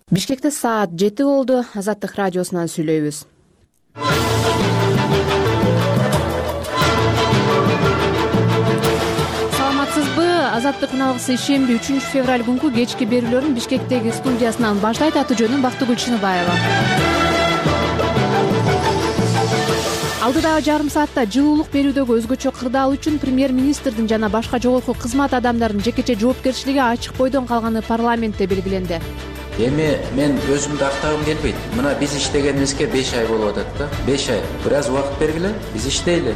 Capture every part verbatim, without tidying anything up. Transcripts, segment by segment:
Бишкекте саат жети болду. Азаттык радиосунан сүйлөйбүз. Саламатсызбы? Азаттык үналгысы ишемби үчүнчү февраль күнкү кечки берүүлөрүн Бишкектеги студиясынан баштайт. Аты жөнүм Бактыгүл Чыныбаева. Алдыдагы жарым саатта жылуулук берүүдөгү өзгөчө кырдаал үчүн премьер-министрдин жана башка жогорку кызмат адамдарынын жекече жоопкерчилиги ачык бойдон калганы парламентте белгиленди. Эми мен өзүмдү актагым келбейт. Мына биз иштегенибизге беш ай болуп атат да. беш ай. Бир аз убакыт бергиле, биз иштейли.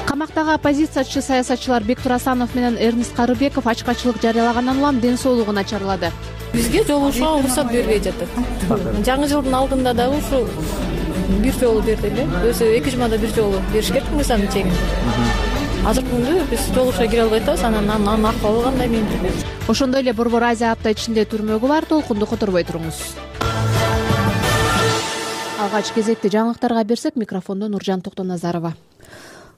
Камактагы оппозициячы саясатчылар Бектур Асанов менен Эрнест Карыбеков ачкачылык жарыялагандан улам ден соолугун начарлады. Бизге жолугушууга уруксат бербей жатат. Жаңы жылдын алдында дагы ушу бир жолу берди эле. Өзү эки жумада бир жолу бериш керек мыйзам чегинде. Азыркы күндө биз жолугушууга кире албай атабыз. Анан анын акыбалы кандай менин? Ошондой эле Борбор Азия апта ичинде түрмөгү бар. Толкунду которбой туруңуз. Алгач кезекти жаңылыктарга берсек, микрофондо Нуржан Токтоназарова.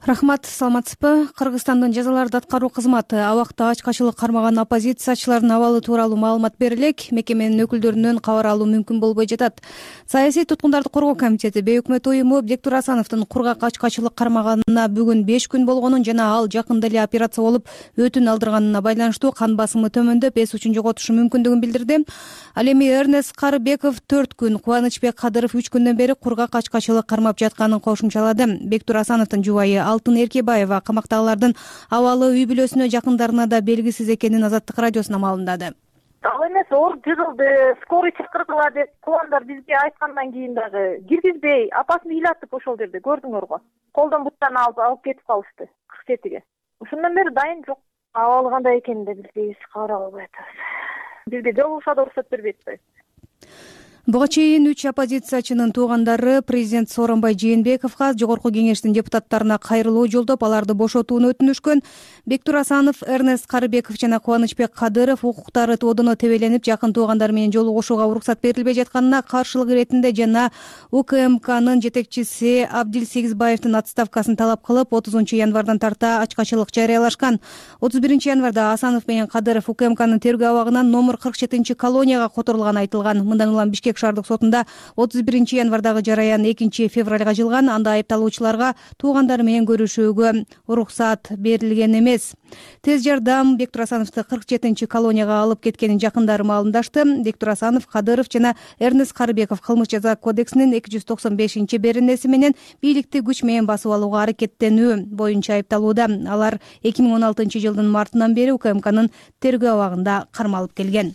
Рахмат, саламатсызбы? Кыргызстандын жазаларды аткаруу кызматы абакта ачкачылык кармаган оппозициячылардын абалы тууралуу маалымат бере элек. Мекеменин өкүлдөрүнөн кабар алуу мүмкүн болбой жатат. Саясий туткундарды коргоо комитети бейөкмөт уюму Бектур Асановдун кургак ачкачылык кармаганына бүгүн беш күн болгонун жана ал жакында эле операция болуп өтүн алдырганына байланыштуу кан басымы төмөндөп эс үчүн жоготушу мүмкүндүгүн билдирди. Ал эми Эрнест Карыбеков төрт күн, Кубанычбек Кадыров үч күндөн бери кургак ачкачылык кармап жатканын кошумчалады. Бектур Асановдун жубайы Алтын Эркебаева камактагылардын абалы үй бүлөсүнө жакындарына да белгисиз экенин Азаттык радиосуна маалымдады. Ал эмес, оор жыгылды, скорый чакыргыла деп куландар бизге айткандан кийин дагы киргизбей, апасын ыйлатып ошол жерде көрдүңөр го. Колдон буттан алып алып кетип калышты кырк жетиге. Ошондон бери дайын жок. Абалы кандай экенин да билбейбиз, кабар албай атабыз. Бизге жолугушууга да уруксат бербей атпайбы. Буга чейин үч оппозициячынын туугандары президент Сооронбай Жээнбековго, жогорку кеңештин депутаттарына кайрылуу жолдоп, аларды бошотууну өтүнүшкөн. Бектур Асанов, Эрнест Карыбеков жана Кубанычбек Кадыров укуктары тодоно тебеленип, жакын туугандары менен жолугушууга уруксат берилбей жатканына каршылык иретинде жана УКМКнын жетекчиси Абдил Сегизбаевдин отставкасын талап кылып, отузунчу январдан тарта ачкачылык жарыялашкан. отуз биринчи январда Асанов менен Кадыров УКМКнын тергөө абагынан номер кырк жетинчи колонияга которулганы айтылган. Мындан улам Бишкек шаардык сотунда отуз биринчи январдагы жараян экинчи февралга жылган. Анда айыпталуучуларга туугандары менен көрүшүүгө уруксат берилген эмес. Тез жардам Бектур Асановду кырк жетинчи колонияга алып кеткенин жакындары маалымдашты. Бектур Асанов, Кадыров жана Эрнест Карыбеков кылмыш жаза кодексинин эки жүз токсон бешинчи беренеси менен бийликти күч менен басып алууга аракеттенүү боюнча айыпталууда. Алар эки миң он алтынчы жылдын мартынан бери УКМКнын тергөө абагында кармалып келген.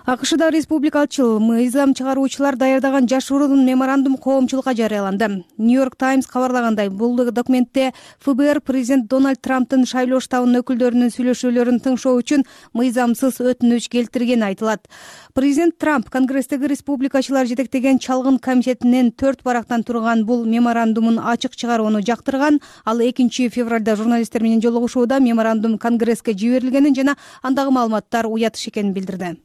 АКШда республикалчыл мыйзам чыгаруучулар даярдаган жашыруун меморандум коомчулукка жарыяланды. Нью-Йорк Таймс кабарлагандай, бул документте ФБР президент Дональд Трамптын шайлоо штабынын өкүлдөрүнүн сүйлөшүүлөрүн тыңшоо үчүн мыйзамсыз өтүнүч келтиргени айтылат. Президент Трамп Конгресстеги республикачылар жетектеген чалгын комитетинин төрт барактан турган бул меморандумун ачык чыгарууну жактырган. Ал экинчи февралда журналисттер менен жолугушууда меморандум Конгресске жиберилгенин жана андагы маалыматтар уятыш экенин билдирди.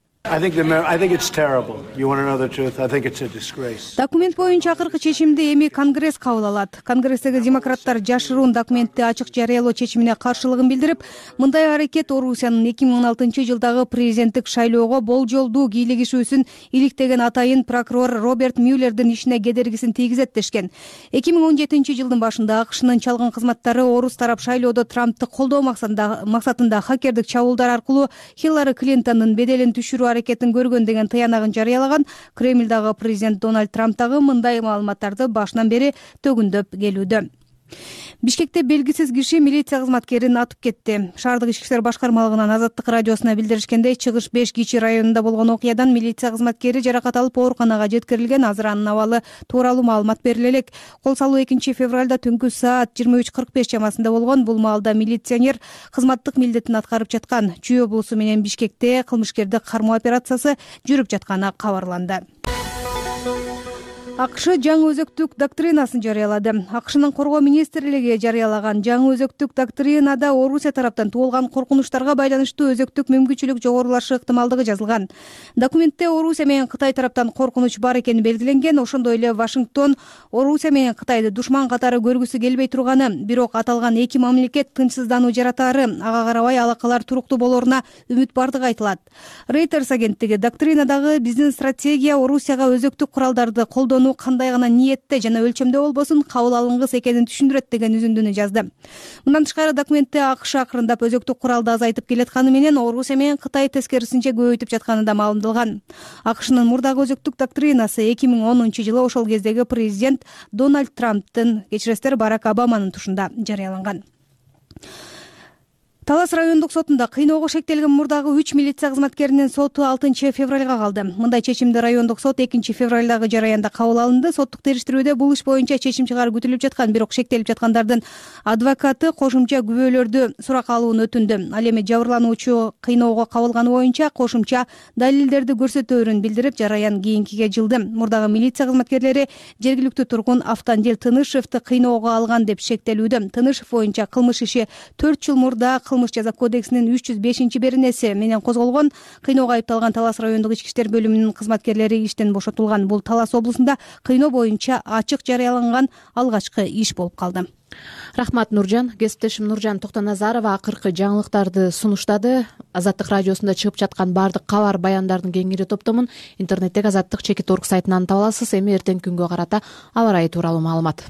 Документ боюнча акыркы чечимди эми Конгресс кабыл алат. Конгресстеги демократтар жашыруун документти ачык жарыялоо чечимине каршылыгын билдирип, мындай аракет Орусиянын эки миң он алтынчы жылдагы президенттик шайлоого болжолдуу кийлигишүүсүн иликтеген атайын прокурор Роберт Мюллердин ишине кедергисин тийгизет дешкен. эки миң он жетинчи жылдын башында АКШнын чалгын кызматтары орус тарап шайлоодо Трамптты колдоо максатында хакердик чабуулдар аркылуу Хиллари Клинтондун беделин түшүрүү аракетин көргөн деген тыянагын жарыялаган. Кремлдагы президент Дональд Трамп дагы мындай маалыматтарды башынан бери төгүндөп келүүдө. Бишкекте белгисиз киши милиция кызматкерин атып кетти. Шаардык ички иштер башкармалыгынан Азаттык радиосуна билдиришкендей, Чыгыш беш Кичи районунда болгон окуядан милиция кызматкери жаракат алып ооруканага жеткирилген. Азыр анын абалы тууралуу маалымат бериле элек. Кол салуу экинчи февралда түнкү саат жыйырма үч кырк беш чамасында болгон. Бул маалда милиционер кызматтык милдетин аткарып жаткан. Чүй облусу менен Бишкекте кылмышкерди кармоо операциясы жүрүп жатканы кабарланды. АКШ жаңы өзөктүк доктринасын жарыялады. АКШнын коргоо министрлиги жарыялаган жаңы өзөктүк доктринада Орусия тараптан туулган коркунучтарга байланыштуу өзөктүк мүмкүнчүлүк жогорулашы ыктымалдыгы жазылган. Документте Орусия менен Кытай тараптан коркунуч бар экени белгиленген. Ошондой эле Вашингтон Орусия менен Кытайды душман катары көргүсү келбей турганы, бирок аталган эки мамлекет тынчсыздануу жаратаары, ага карабай алакалар туруктуу болоруна үмүт бардыгы айтылат. Reuters агенттиги доктринадагы биздин стратегия Орусияга өзөктүк куралдарды колдонуу кандай гана ниетте жана өлчөмдө болбосун кабыл алынгыс экенин түшүндүрөт деген үзүндүнү жазды. Мындан тышкары документте АКШ акырындап өзөктүк куралды азайтып келатканы менен Орусия менен Кытай тескерисинче көбөйтүп жатканы да маалымдалган. АКШнын мурдагы өзөктүк доктринасы эки миң онунчу жылы ошол кездеги президент Дональд Трамптын, кечиресиздер, Барак Обаманын тушунда жарыяланган. Талас райондук сотунда кыйноого шектелген мурдагы үч милиция кызматкеринин соту алтынчы февралга калды. Мындай чечимди райондук сот экинчи февралдагы жараянда кабыл алынды. Соттук териштирүүдө бул иш боюнча чечим чыгаруу күтүлүп жаткан, бирок шектелип жаткандардын адвокаты кошумча күбөлөрдү суракка алууну өтүндү. Ал эми жабырлануучу кыйноого кабылганы боюнча кошумча далилдерди көрсөтөөрүн билдирип, жараян кийинкиге жылды. Мурдагы милиция кызматкерлери жергиликтүү тургун Автандил Тынышевди кыйноого алган деп шектелүүдө. Тынышев боюнча кылмыш иши төрт жыл мурда кылмыш жаза кодексинин үч жүз бешинчи беренеси менен козголгон. Кыйноого айыпталган Талас райондук ички иштер бөлүмүнүн кызматкерлери иштен бошотулган. Бул Талас облусунда кыйноо боюнча ачык жарыяланган алгачкы иш болуп калды. Рахмат, Нуржан. Кесиптешим Нуржан Токтоназарова акыркы жаңылыктарды сунуштады. Азаттык радиосунда чыгып жаткан баардык кабар баяндардын кеңири топтомун интернеттеги азаттык чекит орг сайтынан таба аласыз. Эми эртеңки күнгө карата аба ырайы тууралуу маалымат.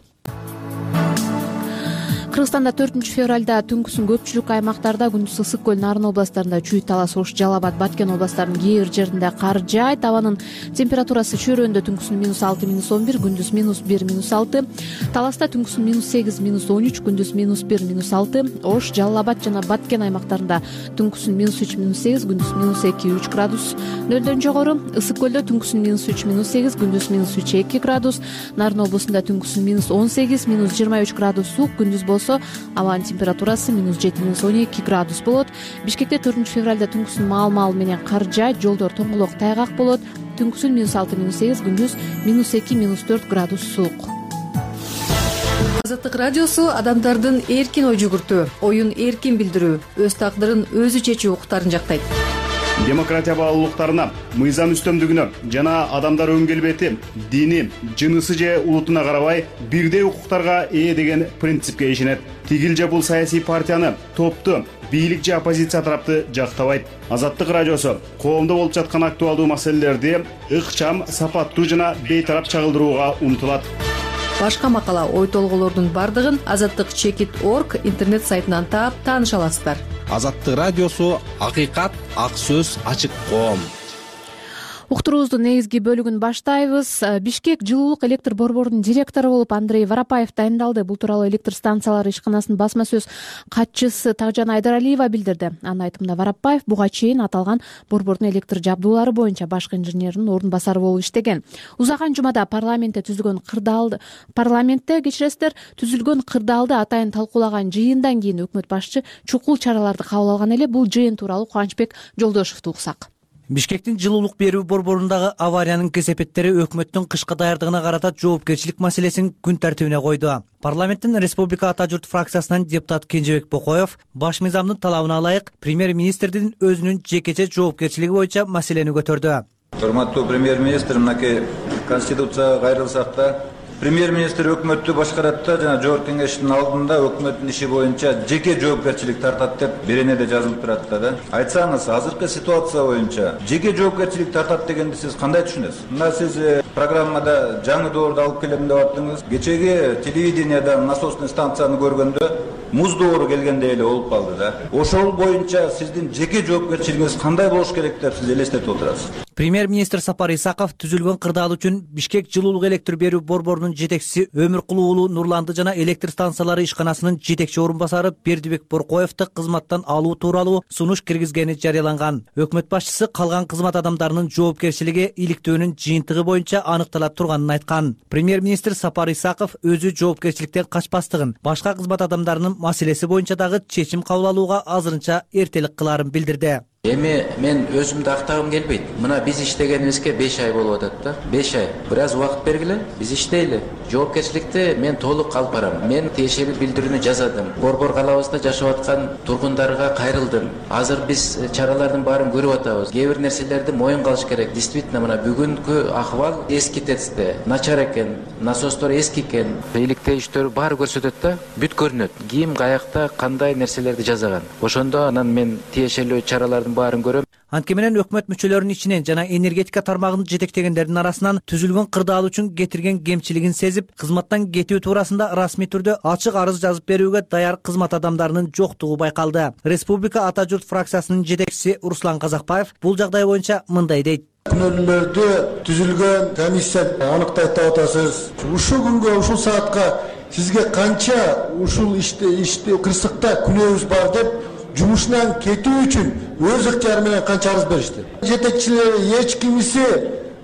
Кыргызстанда төртүнчү февралда түнкүсүн көпчүлүк аймактарда, күндүз Ысык көл, Нарын областарында, Чүй, Талас, Ош, Жалал Абад, Баткен областарынын кээ бир жеринде кар жаайт. Абанын температурасы чөйрөндө түнкүсүн минус алты, минус он бир, күндүз минус бир, минус алты. Таласта түнкүсүн минус сегиз, минус он үч, күндүз минус бир, минус алты. Ош, Жалал Абад жана Баткен аймактарында түнкүсүн минус үч, минус сегиз, күндүз минус эки, үч градус. Нөлдөн жогору Ысык көлдө түнкүсүн минус үч, минус сегиз, күндүз минус үч, эки градус. Нарын облусунда түнкүсүн минус он сегиз, минус жыйырма үч градус суук, күндүз болсо абанын температурасы минус жети, минус он эки градус болот. Бишкекте төртүнчү февралда түнкүсүн маал-маал менен кар жаайт, жолдор тоңголок, тайгак болот. Түнкүсүн минус алты, минус сегиз, күндүз минус эки, минус төрт градус суук. Азаттык радиосу адамдардын эркин ой жүгүртүү, оюн эркин билдирүү, өз тагдырын өзү чечүү укуктарын жактайт. Демократия баалуулуктарына, мыйзам үстөмдүгүнө жана адамдар өң келбети, дини, жынысы же улутуна карабай бирдей укуктарга ээ деген принципке ишенет. Тигил же бул саясий партияны, топту, бийлик же оппозиция тарапты жактабайт. Азаттык радиосу коомдо болуп жаткан актуалдуу маселелерди ыкчам, сапаттуу жана бейтарап чагылдырууга умтулат. Башка макала, ой толгоолордун бардыгын азаттык чекит орг интернет сайтынан таап тааныша аласыздар. Азаттык радиосу акыйкат, ак сөз, ачык коом. Уктуруубуздун негизги бөлүгүн баштайбыз. Бишкек жылуулук электр борборунун директору болуп Андрей Воропаев дайындалды. Бул тууралуу электр станциялары ишканасынын басма сөз катчысы Такжан Айдаралиева билдирди. Анын айтымында Воропаев буга чейин аталган борбордун электр жабдуулары боюнча башкы инженердин орун басары болуп иштеген. Узаган жумада парламентте түзүлгөн кырдаалды парламентте кечиресиздер түзүлгөн кырдаалды атайын талкуулаган жыйындан кийин өкмөт башчы чукул чараларды кабыл алган эле. Бул жыйын тууралуу Кубанычбек Жолдошевду уксак. Бишкектин жылуулук берүү борборундагы авариянын кесепеттери өкмөттүн кышкы даярдыгына карата жоопкерчилик маселесин күн тартибине койду. Парламенттин Республика Ата журт фракциясынан депутат Кенжебек Бокоев баш мыйзамдын талабына ылайык премьер-министрдин өзүнүн жекече жоопкерчилиги боюнча маселени көтөрдү. Урматтуу премьер-министр, мынакей конституцияга кайрылсак да, премьер-министр өкмөттү башкарат да, жана жогорку кеңештин алдында өкмөттүн иши боюнча жеке жоопкерчилик тартат деп беренеде жазылып турат да. Айтсаңыз, азыркы ситуация боюнча жеке жоопкерчилик тартат дегенди сиз кандай түшүнөсүз? Мына сиз программада жаңы доорду алып келем деп аттыңыз. Кечеги телевидениядан насосный станцияны көргөндө муз доору келгендей эле болуп калды да. Ошол боюнча сиздин жеке жоопкерчилигиңиз кандай болуш керек деп сиз элестетип отурасыз? Премьер-министр Сапар Исаков түзүлгөн кырдаал үчүн Бишкек жылуулук электр берүү борборунун жетекчиси Өмүркулуу уулу Нурланды жана электр станциялары ишканасынын жетекчи орун басары Бердибек Боркоевди кызматтан алуу тууралуу сунуш киргизгени жарыяланган. Өкмөт башчысы калган кызмат адамдарынын жоопкерчилиги иликтөөнүн жыйынтыгы боюнча аныкталат турганын айткан. Премьер-министр Сапар Исаков өзү жоопкерчиликтен качпастыгын, башка кызмат адамдарынын маселеси боюнча дагы чечим кабыл алууга азырынча эртелик кылаарын билдирди. Эми мен өзүмдү актагым келбейт. Мына биз иштегенибизге беш ай болуп атат да. беш ай. Бир аз убакыт бергиле, биз иштейли. Жоопкерчиликти мен толук алып барам. Мен тиешелүү билдирүүнү жазадым. Борбор калабызда жашап аткан тургундарга кайрылдым. Азыр биз чаралардын баарын көрүп атабыз. Кээ бир нерселерди моюнга алыш керек. Действительно, мына бүгүнкү акыбал эски тесте начар экен, насостор эски экен. Иликтейиштер баары көрсөтөт да, бүт көрүнөт. Ким каякта кандай нерселерди жасаган. Ошондо анан мен тиешелүү чаралардын баарын көрөм. Антке менен өкмөт мүчөлөрүнүн ичинен жана энергетика тармагын жетектегендердин арасынан түзүлгөн кырдаал үчүн кетирген кемчилигин сезип, кызматтан кетүү туурасында расмий түрдө ачык арыз жазып берүүгө даяр кызмат адамдарынын жоктугу байкалды. Республика Ата журт фракциясынын жетекчиси Руслан Казакбаев бул жагдай боюнча мындай дейт. Күнөөлөрдү түзүлгөн комиссия аныктайт деп атасыз. Ушул күнгө, ушул саатка сизге канча ушул иште иште кырсыкта күнөөбүз бар деп жумушунан кетүү үчүн өз ыктыяры менен канча арыз беришти. Жетекчилери эч кимиси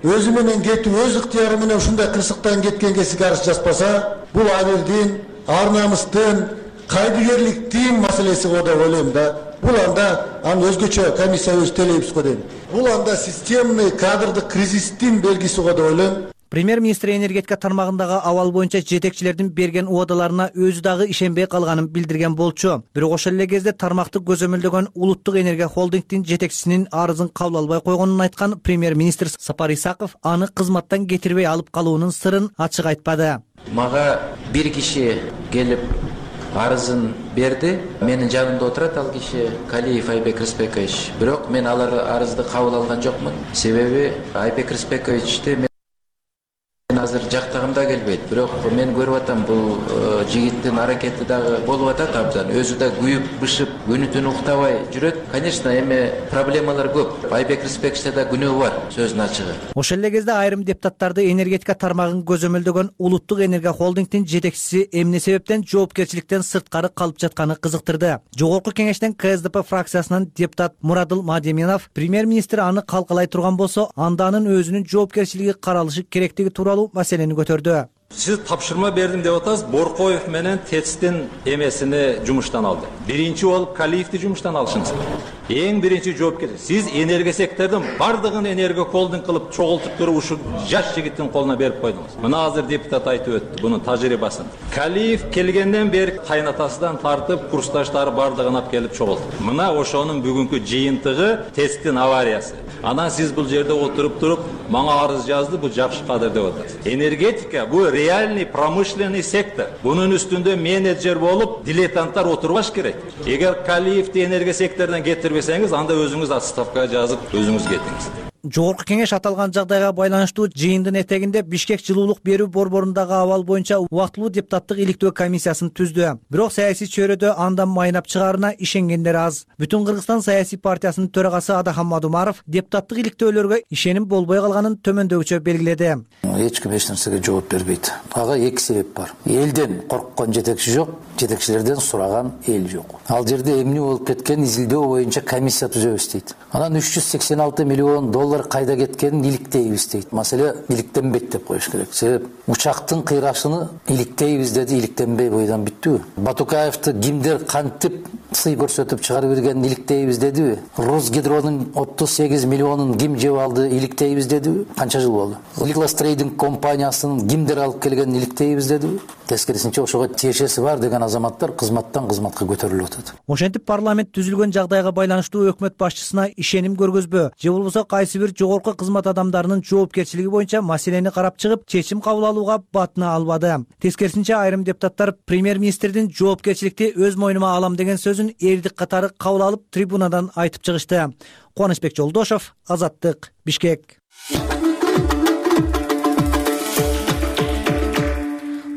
өзү менен кетүү, өз ыктыяры менен ушундай кырсыктан кеткенге сизге арыз жазбаса, бул абелдин, ар намыстын, кайдыгерликтин маселеси го деп ойлойм да. Бул анда аны өзгөчө комиссия өз телейбиз го дейм. Бул анда системный кадрдык кризистин белгиси го деп ойлойм. Премьер-министр энергетика тармагындагы абал боюнча жетекчилердин берген убадаларына өзү дагы ишенбей калганын билдирген болчу. Бирок ошол эле кезде тармакты көзөмөлдөгөн Улуттук энергия холдингдин жетекчисинин арызын кабыл албай койгонун айткан премьер-министр Сапар Исаков аны кызматтан кетирбей алып калуунун сырын ачык айтпады. Мага бир киши келип арызын берди. Менин жанымда отурат ал киши Калиев Айбек Рыспекович. Бирок мен алар арызды кабыл алган жокмун. Себеби Айбек Рыспековичти мен азыр жактагым да келбейт. Бирок мен көрүп атам, бул жигиттин аракети дагы болуп атат абдан. Өзү да күйүп, бышып, күнү түнү уктабай жүрөт. Конечно, эми проблемалар көп. Айбек Рыспековичте да күнөө бар, сөздүн ачыгы. Ошол эле кезде айрым депутаттарды энергетика тармагын көзөмөлдөгөн Улуттук энергия холдингдин жетекчиси эмне себептен жоопкерчиликтен сырткары калып жатканы кызыктырды. Жогорку кеңештен Ка Эс Де Пе фракциясынан депутат Мурадыл Мадеминов премьер-министр аны калкалай турган болсо, анда анын өзүнүн жоопкерчилиги каралышы керектиги тууралуу маселени көтөрдү. Сиз тапшырма бердим деп атасыз. Боркоев менен ТЭЦтин эмесини жумуштан алды. Биринчи болуп Калиевди жумуштан алышыңыз. Эң биринчи жоопкер. Сиз энергия сектордун бардыгын энергия холдинг кылып чогултуп туруп ушу жаш жигиттин колуна берип койдуңуз. Мына азыр депутат айтып өттү бунун тажрыйбасын. Калиев келгенден бери кайнатасынан тартып, курсташтары бардыгын алып келип чогулту. Мына ошонун бүгүнкү жыйынтыгы ТЭЦтин авариясы. Анан сиз бул жерде отуруп туруп, мага арыз жазды, бул жакшы кадыр деп атасыз. Энергетика бул реальный промышленный сектор. Бунун үстүндө менеджер болуп, дилетанттар отурбаш керек. Эгер Калиевди энергия секторунан кетирбесеңиз, анда өзүңүз отставкага жазып, өзүңүз кетиңиз. Жогорку кеңеш аталган жагдайга байланыштуу жыйындын этегинде Бишкек жылуулук берүү борборундагы абал боюнча убактылуу депутаттык иликтөө комиссиясын түздү. Бирок саясий чөйрөдө андан майнап чыгаарына ишенгендер аз. Бүтүн Кыргызстан саясий партиясынын төрагасы Адахам Мадумаров депутаттык иликтөөлөргө ишеним болбой калганын төмөндөгүчө белгиледи. Эч ким эч нерсеге жооп бербейт. Ага эки себеп бар. Элден корккон жетекчи жок, жетекчилерден сураган эл жок. Ал жерде эмне болуп кеткен изилдөө боюнча комиссия түзөбүз дейт. Анан үч жүз сексен алты миллион доллар кайда кеткенин иликтейбиз дейт. Маселе иликтенбейт деп коюш керек. Себеп учактын кыйрашыны иликтейбиз деди, иликтенбей бойдон бүттүбү? Батукаевди кимдер кантип сый көрсөтүп чыгарып бергенин иликтейбиз дедиби? Росгидронун отуз сегиз миллионун ким жеп алды, иликтейбиз дедиби? Канча жыл болду? Ликластрейдинг компаниясынын кимдер алып келгенин иликтейбиз дедиби? Тескерисинче ошого тиешеси бар деген азаматтар кызматтан кызматка көтөрүлүп атат. Ошентип парламент түзүлгөн жагдайга байланыштуу өкмөт башчысына ишеним көргөзбө, же болбосо кайсы бир жогорку кызмат адамдарынын жоопкерчилиги боюнча маселени карап чыгып, чечим кабыл алууга батына албады. Тескерисинче айрым депутаттар премьер-министрдин жоопкерчиликти өз мойнума алам деген сөзүн эрдик катары кабыл алып, трибунадан айтып чыгышты. Кубанычбек Жолдошов, Азаттык, Бишкек.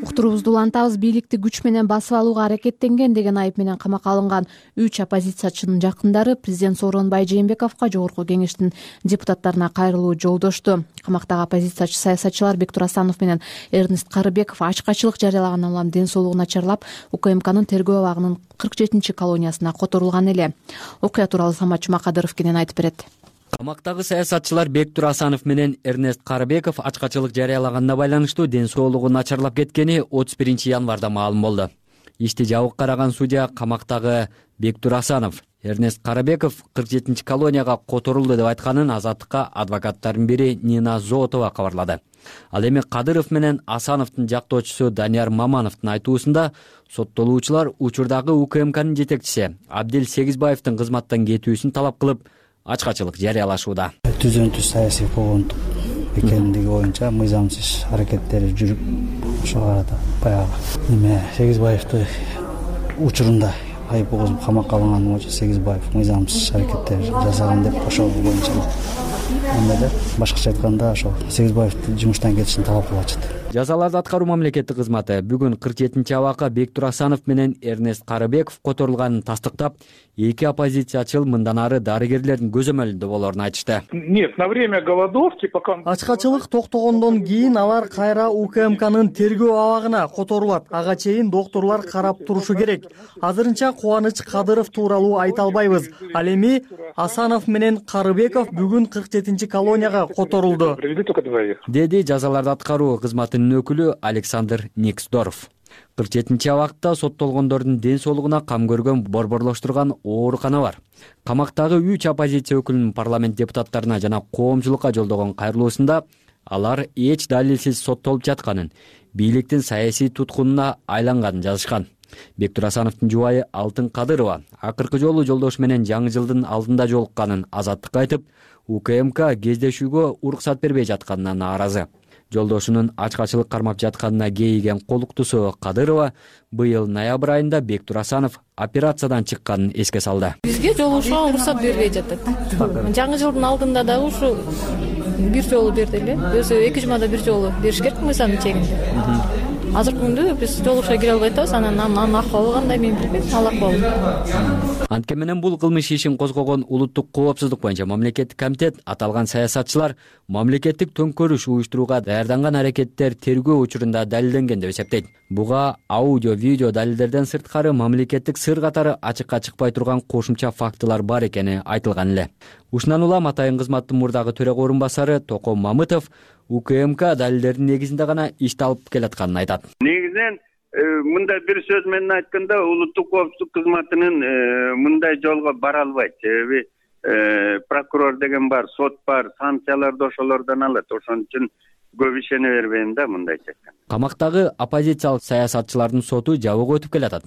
Уктурубузду улантабыз. Бийликти күч менен басып алууга аракеттенген деген айып менен камакка алынган үч оппозициячынын жакындары президент Сооронбай Жээнбековго жогорку кеңештин депутаттарына кайрылуу жолдошту. Камактагы оппозициячы саясатчылар Бектур Асанов менен Эрнест Карыбеков ачкачылык жарыялагандан улам ден соолугу начарлап, УКМКнын тергөө абагынын кырк жетинчи колониясына которулган эле. Окуя тууралуу Самат Жумакадыров кенен айтып берет. Камактагы саясатчылар Бектур Асанов менен Эрнест Карыбеков ачкачылык жарыялаганына байланыштуу ден соолугу начарлап кеткени отуз биринчи январда маалым болду. Ишти жабык караган судья камактагы Бектур Асанов, Эрнест Карыбеков кырк жетинчи колонияга которулду деп айтканын Азаттыкка адвокаттардын бири Нина Зотова кабарлады. Ал эми Кадыров менен Асановдун жактоочусу Данияр Мамановдун айтуусунда соттолуучулар учурдагы УКМКнын жетекчиси Абдил Сегизбаевдин кызматтан кетүүсүн талап кылып, ачкачылык жарыялашууда. Түзөнтү саясий куугунтук экендиги боюнча мыйзамсыз аракеттери жүрүп, ошого арада баягы неме Сегизбаевди учурунда айып козуп камакка алынган боюнча Сегизбаев мыйзамсыз аракеттер жасаган деп ошол боюнча эмеде башкача айтканда ошол Сегизбаевдин жумуштан кетишин талап кылып атышат. Жазаларды аткаруу мамлекеттик кызматы бүгүн кырк жетинчи абакка Бектур Асанов менен Эрнест Карыбеков которулганын тастыктап, эки оппозициячыл мындан ары дарыгерлердин көзөмөлүндө болоорун айтышты. Нет, на время голодовки пока ачкачылык токтогондон кийин алар кайра УКМКнын тергөө абагына которулат. Ага чейин докторлор карап турушу керек. Азырынча Кубаныч Кадыров тууралуу айта албайбыз. Ал эми Асанов менен Карыбеков бүгүн кырк жетинчи колонияга которулду, деди жазаларды аткаруу кызматынын өкүлү Александр Никсдоров. кырк жетинчи абакта соттолгондордун ден соолугуна кам көргөн борборлоштурган оорукана бар. Камактагы үч оппозиция өкүлүнүн парламент депутаттарына жана коомчулукка жолдогон кайрылуусунда алар эч далилсиз соттолуп жатканын, бийликтин саясий туткунуна айланганын жазышкан. Бектур Асановдун жубайы Алтын Кадырова акыркы жолу жолдошу менен жаңы жылдын алдында жолукканын Азаттыкка айтып, УКМК кездешүүгө уруксат бербей жатканына нааразы. Жолдошунун ачкачылык кармап жатканына кейиген колуктусу Кадырова быйыл ноябрь айында Бектур Асанов операциядан чыкканын эске салды. Бизге жолугушууга уруксат бербей жатат. Жаңы жылдын алдында дагы ушу бир жолу берди эле. Өзү эки жумада бир жолу бериш керек мыйзамдын чегинде. Азыркы күндө биз жолугушууга кире албай атабыз. Анан анын акыбалы кандай мен билбейм, ал акыбалы. Анткени менен бул кылмыш ишин козгогон улуттук коопсуздук боюнча мамлекеттик комитет аталган саясатчылар мамлекеттик төңкөрүш уюштурууга даярданган аракеттер тергөө учурунда далилденген деп эсептейт. Буга аудио, видео далилдерден сырткары мамлекеттик сыр катары ачыкка чыкпай турган кошумча фактылар бар экени айтылган эле. Ушундан улам Атайын кызматтын мурдагы төрага орун басары Током Мамытов УКМК далилдердин негизинде гана ишти алып келатканын айтат. Негизинен мындай бир сөз менен айтканда улуттук коопсуздук кызматынын мындай жолго бара албайт. Себеби прокурор деген бар, сот бар, санкцияларды ошолордон алат. Ошон үчүн көп ишене бербейм да мындайча айтканда. Камактагы оппозициялык саясатчылардын соту жабык өтүп келатат.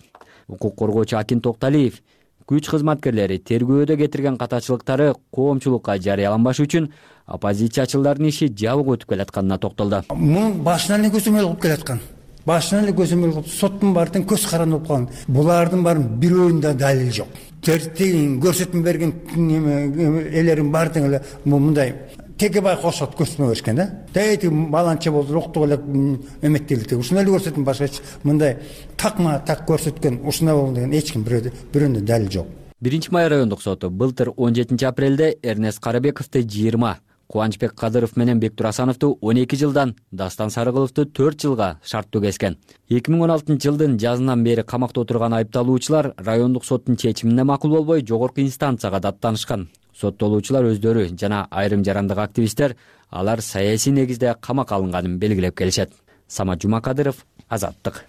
Укук коргоочу Акин Токталиев күч кызматкерлери тергөөдө кетирген катачылыктары коомчулукка жарыяланбашы үчүн оппозициячылардын иши жабык өтүп келатканына токтолду. Мун башынан эле көзөмөл кылып келаткан. Башынан эле көзөмөл кылып, соттун баардыгын көз каранды болуп калган. Булардын баарын бирөөнүндө далил жок. Тертин көрсөтмө берген элерин баардыгы эле мындай Текебай кошот көрсөтмө беришкен да. Дайти баланча болду, октук эле эметтелди. Ушуну эле көрсөтүм, башка мындай такма так көрсөткөн, ушуна болду деген эч ким бирөөнүндө далил жок. Биринчи май райондук соту былтыр он жетинчи апрелде Эрнест Карыбековду жыйырма, Кубанычбек Кадыров менен Бектур Асановду он эки жылдан, Дастан Сарыгуловду төрт жылга шарттуу кескен. эки миң он алтынчы жылдын жазынан бери камакта отурган айыпталуучулар райондук соттун чечимине макул болбой жогорку инстанцияга даттанышкан. Соттолуучулар өздөрү жана айрым жарандык активисттер алар саясий негизде камакка алынганын белгилеп келишет. Самат Жумакадыров, Азаттык.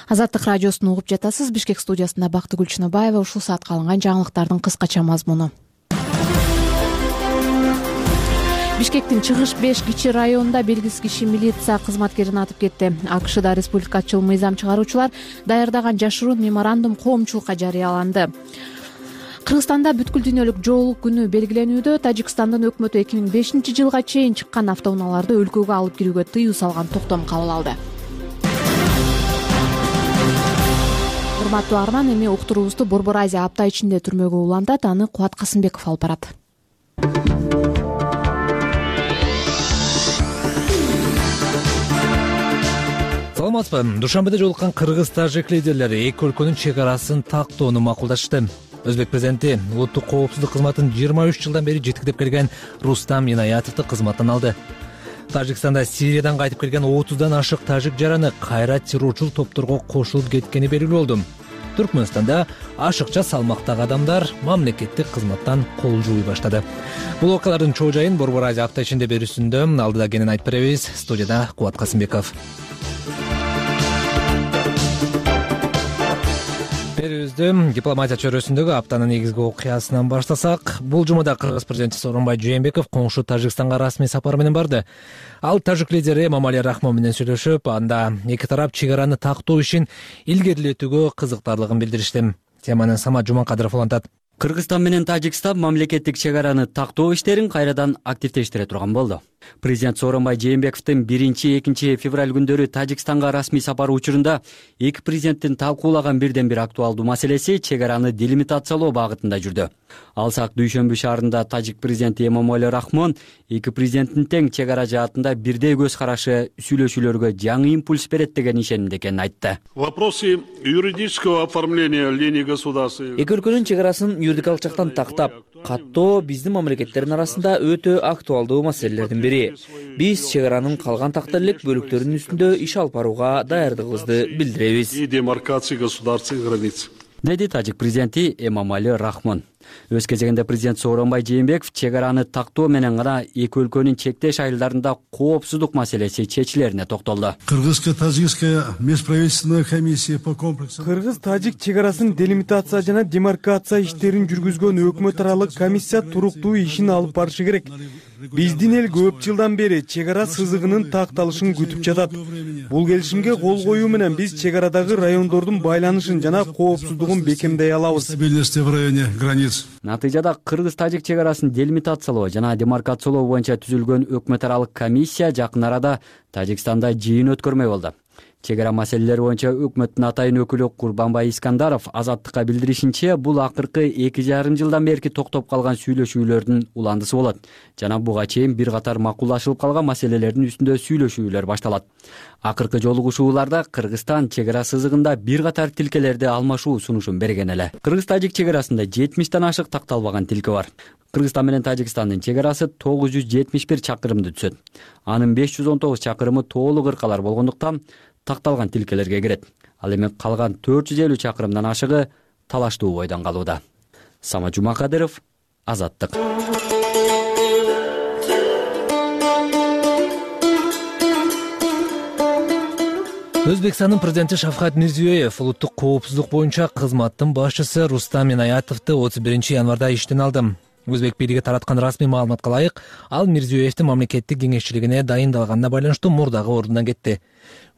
Азаттык радиосун угуп жатасыз. Бишкек студиясында Бактыгүл Чыныбаева. Ушул саатка алынган жаңылыктардын кыскача мазмуну. Бишкектин Чыгыш беш кичи районунда белгисиз киши милиция кызматкерин атып кетти. АКШда республикачыл мыйзам чыгаруучулар даярдаган жашыруун меморандум коомчулукка жарыяланды. Кыргызстанда бүткүл дүйнөлүк жоолук күнү белгиленүүдө. Тажикстандын өкмөтү эки миң бешинчи жылга чейин чыккан автоунааларды өлкөгө алып кирүүгө тыюу салган токтом кабыл алды. Урматтуу арман, эми уктуруубузду Борбор Азия апта ичинде түрмөгө улантат. Аны Кубат Касымбеков алып барат. Саламатсызбы. Душанбеде жолуккан кыргыз-тажик лидерлери эки өлкөнүн чек арасын тактоону макулдашты. Өзбек президенти улуттук коопсуздук кызматын жыйырма үч жылдан бери жетектеп келген Рустам Инаятовду кызматтан алды. Тажикстанда Сириядан кайтып келген отуздан ашык тажик жараны кайра террорчул топторго кошулуп кеткени белгилүү болду. Түркмөнстанда ашыкча салмактагы адамдар мамлекеттик кызматтан кол жууй баштады. Бул окуялардын чоо жайын Борбор Азия апта ичинде берүүсүндө алдыда кенен айтып беребиз. Студияда Кубат Касымбеков. берүүбүздү дипломатия чөйрөсүндөгү аптанын негизги окуясынан баштасак, бул жумада кыргыз президенти Сооронбай Жээнбеков коңшу Тажикстанга расмий сапар менен барды. Ал тажик лидери Эмомали Рахмон менен сүйлөшүп, анда эки тарап чек араны тактоо ишин илгерилетүүгө кызыктарлыгын билдиришти. Теманы Самат Жумакадыров улантат. Кыргызстан менен Тажикстан мамлекеттик чек араны тактоо иштерин кайрадан активдештире турган болду. Президент Сооронбай Жээнбековдун биринчи экинчи февраль күндөрү Тажикстанга расмий сапары учурунда эки президенттин талкуулаган бирден бир актуалдуу маселеси чек араны делимитациялоо багытында жүрдү. Алсак дүйшөмбү шаарында тажик президенти Эмомали Рахмон эки президенттин тең чек ара жаатында бирдей көз карашы сүйлөшүүлөргө жаңы импульс берет деген ишенимде экенин айтты. Вопросы юридического оформления линии государства. Эки өлкөнүн чек арасын юридикалык жактан тактап, каттоо биздин мамлекеттердин арасында өтө актуалдуу маселелердин бири. Биз чек аранын калган такта элек бөлүктөрүнүн үстүндө иш алып барууга даярдыгыбызды билдиребиз. И демаркации государственных границ. Деди тажик президенти Эмомали Рахмон. Өз кезегинде президент Сооронбай Жээнбеков чек араны тактоо менен гана эки өлкөнүн чектеш айылдарында коопсуздук маселеси чечилерине токтолду. Кыргызско-тажикская межправительственная комиссия по комплексу. Кыргыз-тажик чек арасын делимитация жана демаркация иштерин жүргүзгөн өкмөт аралык комиссия туруктуу ишин алып барышы керек. Биздин эл көп жылдан бери чек ара сызыгынын такталышын күтүп жатат. Бул келишимге кол коюу менен биз чек арадагы райондордун байланышын жана коопсуздугун бекемдей алабыз. Стабильности в районе границ. Натыйжада кыргыз-тажик чек арасын делимитациялоо жана демаркациялоо боюнча түзүлгөн өкмөт аралык комиссия жакын арада Тажикстанда жыйын өткөрмөй болду. Чек ара маселелери боюнча өкмөттүн атайын өкүлү Курбанбай Искандаров Азаттыкка билдиришинче, бул акыркы эки жарым жылдан берки токтоп калган сүйлөшүүлөрдүн уландысы болот жана буга чейин бир катар макулдашылып калган маселелердин үстүндө сүйлөшүүлөр башталат. Акыркы жолугушууларда Кыргызстан чек ара сызыгында бир катар тилкелерди алмашуу сунушун берген эле. Кыргыз-тажик чек арасында жетимиштен ашык такталбаган тилке бар. Кыргызстан менен Тажикстандын чек арасы тогуз жүз жетимиш бир чакырымды түзөт. Анын беш жүз он тогуз чакырымы тоолук ыркалар болгондуктан такталган тилкелерге кирет. Ал эми калган төрт жүз элүү чакырымдан ашыгы талаштуу бойдон калууда. Самат Жумакадыров, Азаттык. Өзбекстандын президенти Шавкат Мирзиёев улуттук коопсуздук боюнча кызматтын башчысы Рустам Инаятовду отуз биринчи январда иштен алды. Өзбек бийлиги тараткан расмий маалыматка ылайык, ал Мирзиёевдин мамлекеттик кеңешчилигине дайындалганына байланыштуу мурдагы ордунан кетти.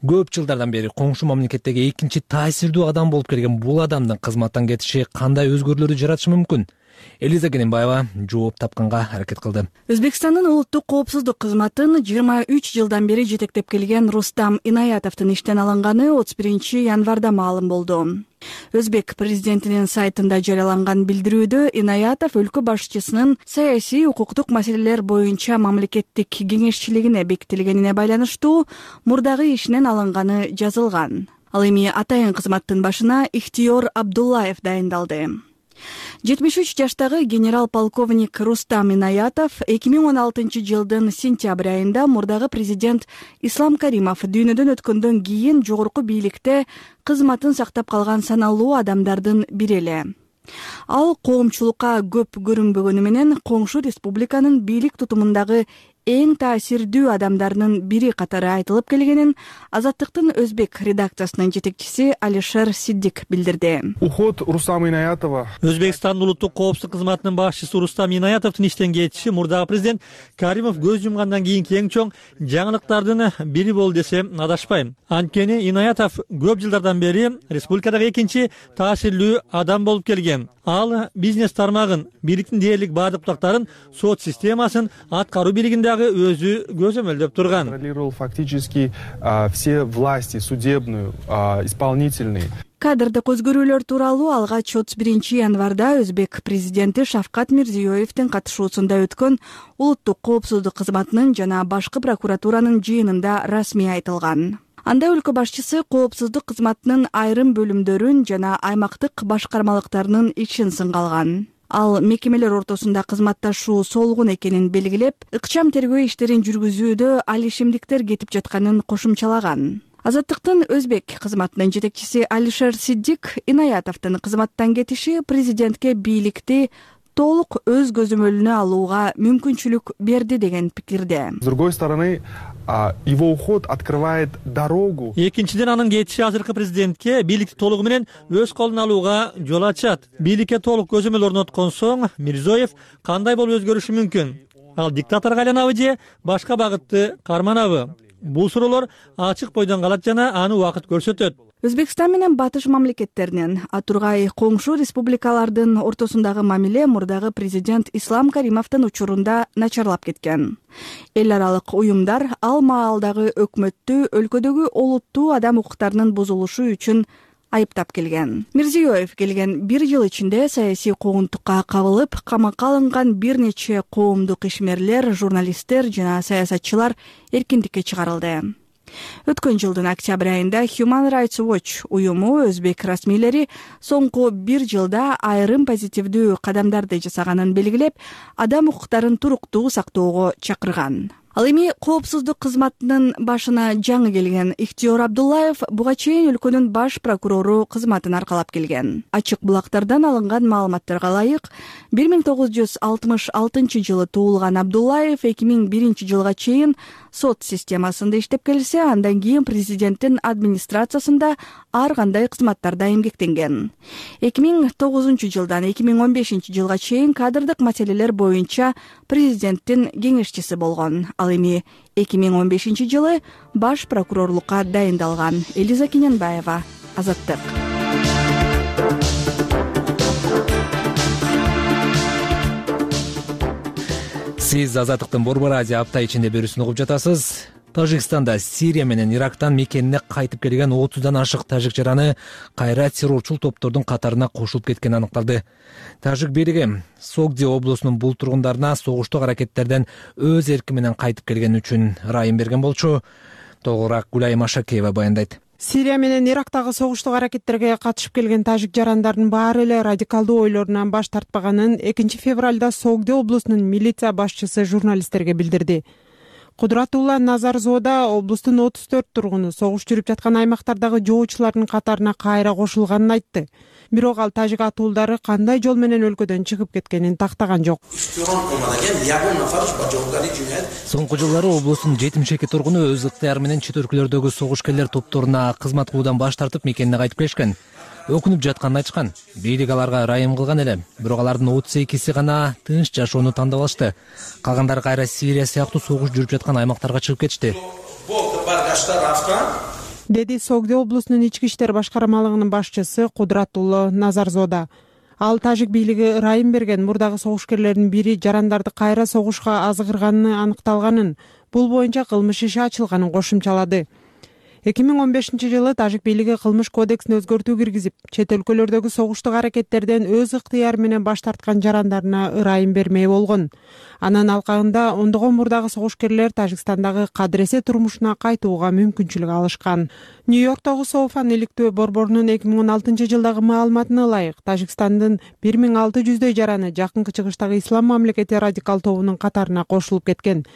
Көп жылдардан бери коңшу мамлекеттеги экинчи таасирдүү адам болуп келген бул адамдын кызматтан кетиши кандай өзгөрүүлөрдү жаратышы мүмкүн? Элиза Кененбаева жооп тапканга аракет кылды. Өзбекстандын улуттук коопсуздук кызматын жыйырма үч жылдан бери жетектеп келген Рустам Инаятовдун иштен алынганы отуз биринчи январда маалым болду. Өзбек президентинин сайтында жарыяланган билдирүүдө Инаятов өлкө башчысынын саясий укуктук маселелер боюнча мамлекеттик кеңешчилигине бекитилгенине байланыштуу мурдагы ишинен алынганы жазылган. Ал эми атайын кызматтын башына Ихтиёр Абдуллаев дайындалды. жетимиш үч жаштагы генерал-полковник Рустам Инаятов эки миң он алтынчы жылдын сентябрь айында мурдагы президент Ислам Каримов дүйнөдөн өткөндөн кийин жогорку бийликте кызматын сактап калган саналуу адамдардын бири эле. Ал коомчулукка көп көрүнбөгөнү менен коңшу республиканын бийлик тутумундагы эң таасирдүү адамдарынын бири катары айтылып келгенин Азаттыктын өзбек редакциясынын жетекчиси Алишер Сиддик билдирди. Уход Рустама Инаятова. Өзбекстандын улуттук коопсуздук кызматынын башчысы Рустам Инаятовдун иштен кетиши мурдагы президент Каримов көз жумгандан кийинки эң чоң жаңылыктардын бири болду десем адашпайм. Анткени Инаятов көп жылдардан бери республикадагы экинчи таасирлүү адам болуп келген. Ал бизнес тармагын, бийликтин дээрлик баардык бутактарын, сот системасын, аткаруу бийлигиндагы өзү көзөмөлдөп турган. Контролировал фактически все власти, судебную, исполнительные. Кадрдык өзгөрүүлөр тууралуу алгач отуз биринчи январда өзбек президенти Шавкат Мирзиёевдин катышуусунда өткөн улуттук коопсуздук кызматынын жана башкы прокуратуранын жыйынында расмий айтылган. Анда өлкө башчысы коопсуздук кызматынын айрым бөлүмдөрүн жана аймактык башкармалыктарынын ишин сынгалган. Ал мекемелер ортосунда кызматташуу солгун экенин белгилеп, ыкчам тергөө иштерин жүргүзүүдө ал ишемдиктер кетип жатканын кошумчалаган. Азаттыктын өзбек кызматынын жетекчиси Алишер Сиддик Инаятовдун кызматтан кетиши президентке бийликти толук өз көзөмөлүнө алууга мүмкүнчүлүк берди деген пикирде. С другой стороны, его уход открывает дорогу. Экинчиден, анын кетиши азыркы президентке бийликти толугу менен өз колуна алууга жол ачат. Бийликке толук көзөмөл орноткон соң Мирзиёев кандай болуп өзгөрүшү мүмкүн? Ал диктаторго айланабы же башка багытты карманабы? Бул суроолор ачык бойдон калат жана аны убакыт көрсөтөт. Өзбекстан менен батыш мамлекеттеринин, а тургай коңшу республикалардын ортосундагы мамиле мурдагы президент Ислам Каримовдун учурунда начарлап кеткен. Эл аралык уюмдар ал маалдагы өкмөттү өлкөдөгү олуттуу адам укуктарынын бузулушу үчүн айыптап келген. Мирзиёев келген бир жыл ичинде саясий куугунтукка кабылып, камакка алынган бир нече коомдук ишмерлер, журналисттер жана саясатчылар эркиндикке чыгарылды. Өткөн жылдын октябрь айында Human Rights Watch уюму өзбек расмийлери соңку бир жылда айрым позитивдүү кадамдарды жасаганын белгилеп, адам укуктарын туруктуу сактоого чакырган. Ал эми коопсуздук кызматынын башына жаңы келген Ихтиёр Абдуллаев буга чейин өлкөнүн баш прокурору кызматын аркалап келген. Ачык булактардан алынган маалыматтарга ылайык, бир миң тогуз жүз алтымыш алтынчы жылы туулган Абдуллаев эки миң биринчи жылга чейин сот системасында иштеп келсе, андан кийин президенттин администрациясында ар кандай кызматтарда эмгектенген. эки миң тогузунчу жылдан эки миң он бешинчи жылга чейин кадрдык маселелер боюнча президенттин кеңешчиси болгон. Ал эми эки миң он бешинчи жылы баш прокурорлукка дайындалган. Элиза Кененбаева, Азаттык. Сиз Азаттыктын Борбор Азия апта ичинде берүүсүн угуп жатасыз. Тажикстанда Сирия менен Ирактан мекенине кайтып келген отуздан ашык тажик жараны кайра террорчул топтордун катарына кошулуп кеткени аныкталды. Тажик бийлиги Согди облусунун бул тургундарына согуштук аракеттерден өз эрки менен кайтып келгени үчүн ырайым берген болчу. Толугураак Гулай Машакеева баяндайт. Сирия менен Ирактагы согуштук аракеттерге катышып келген тажик жарандардын баары эле радикалдуу ойлорунан баш тартпаганын экинчи февралда Согди облусунун милиция башчысы журналисттерге билдирди. Кудратулла Назарзода облустун отуз төрт тургуну согуш жүрүп жаткан аймактардагы жоочулардын катарына кайра кошулганын айтты. Бирок ал тажик атуулдары кандай жол менен өлкөдөн чыгып кеткенин тактаган жок. Соңку жылдары облустун жетимиш эки тургуну өз ыктыяры менен чет өлкөлөрдөгү согушкерлер топторуна кызмат кылуудан баш тартып мекенине кайтып келишкен. Өкүнүп жатканын айтышкан. Бийлик аларга ырайым кылган эле, бирок алардын отуз экиси гана тынч жашоону тандап алышты. Калгандары кайра Сирия сыяктуу согуш жүрүп жаткан аймактарга чыгып кетишти. Деди Согди облусунун ички иштер башкармалыгынын башчысы Кудратулла Назарзода. Ал тажик бийлиги ырайым берген мурдагы согушкерлердин бири жарандарды кайра согушка азгырганы аныкталганын, бул боюнча кылмыш иши ачылганын кошумчалады. эки миң он бешинчи жылы тажик бийлиги кылмыш кодексине өзгөртүү киргизип, чет өлкөлөрдөгү согуштук аракеттерден өз ыктыяры менен баш тарткан жарандарына ырайым бермей болгон. Анын алкагында ондогон мурдагы согушкерлер Тажикстандагы кадыресе турмушуна кайтууга мүмкүнчүлүк алышкан. Нью-Йорктогу Соуфан иликтөө борборунун эки миң он алтынчы жылдагы маалыматына ылайык, Тажикстандын бир миң алты жүздөй жараны жакынкы чыгыштагы ислам мамлекети радикал тобунун катарына кошулуп кеткен.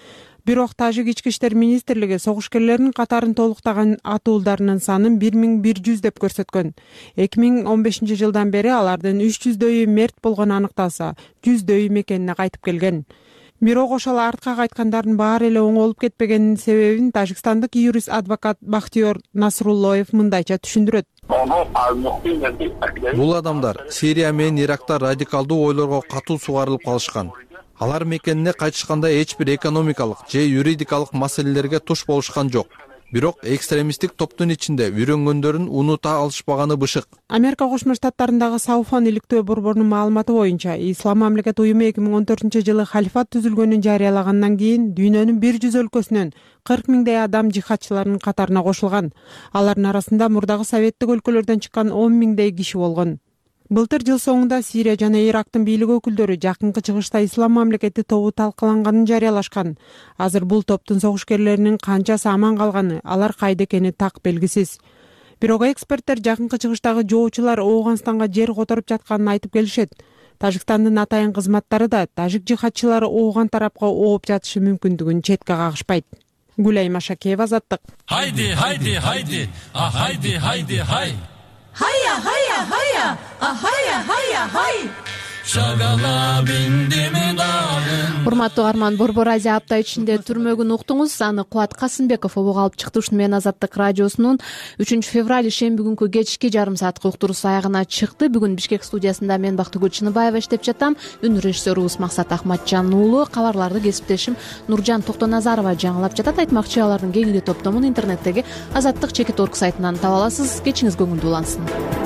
Бирок тажик ички иштер министрлиги согушкерлердин катарын толуктаган атуулдарынын санын бир миң бир жүз деп көрсөткөн. эки миң он бешинчи жылдан бери алардын үч жүздөйү мерт болгону аныкталса, жүздөйү мекенине кайтып келген. Бирок ошол артка кайткандардын баары эле оңолуп кетпегенинин себебин тажикстандык юрист адвокат Бахтиёр Насруллоев мындайча түшүндүрөт. Бул адамдар Сирия менен Иракта радикалдуу ойлорго катуу сугарылып калышкан. Алар мекенине кайтышканда эч бир экономикалык же юридикалык маселелерге туш болушкан жок. Бирок экстремисттик топтун ичинде үйрөнгөндөрүн унута алышпаганы бышык. Америка Кошмо Штаттарындагы Сауфан иликтөө борборунун маалыматы боюнча, Ислам мамлекет уюму эки миң он төртүнчү жылы халифат түзүлгөнүн жарыялагандан кийин дүйнөнүн бир жүз өлкөсүнөн кырк миңдей адам жихадчылардын катарына кошулган. Алардын арасында мурдагы советтик өлкөлөрдөн чыккан он миңдей киши болгон. Былтыр жыл соңунда Сирия жана Ирактын бийлик өкүлдөрү жакынкы чыгышта ислам мамлекети тобу талкаланганын жарыялашкан. Азыр бул топтун согушкерлеринин канчасы аман калганы, алар кайда экени так белгисиз. Бирок эксперттер жакынкы чыгыштагы жоочулар Ооганстанга жер которуп жатканын айтып келишет. Тажикстандын атайын кызматтары да тажик жихадчылары Ооган тарапка ооп жатышы мүмкүндүгүн четке кагышпайт. Гулай Машакеева, Азаттык. Хайди, хайди, хайди, а хайди, хайди, хай. Хайя, хайя, хайя, а хайя, хайя, хай. шагала биндими дагын. Урматтуу Арман, Борбор Азия апта ичинде түрмөгүн уктуңуз. Аны Кубат Касымбеков обого алып чыкты. Ушуну менен Азаттык радиосунун үчүнчү февраль ишемби күнкү кечки жарым сааттык уктуруусу аягына чыкты. Бүгүн Бишкек студиясында мен Бактыгүл Чыныбаева иштеп жатам. Үн режиссерубуз Максат Ахматжан уулу. Кабарларды кесиптешим Нуржан Токтоназарова жаңылап жатат. Айтмакчы, алардын кеңири топтомун интернеттеги азаттык чекит орг сайтынан таба аласыз. Кечиңиз көңүлдүү улансын.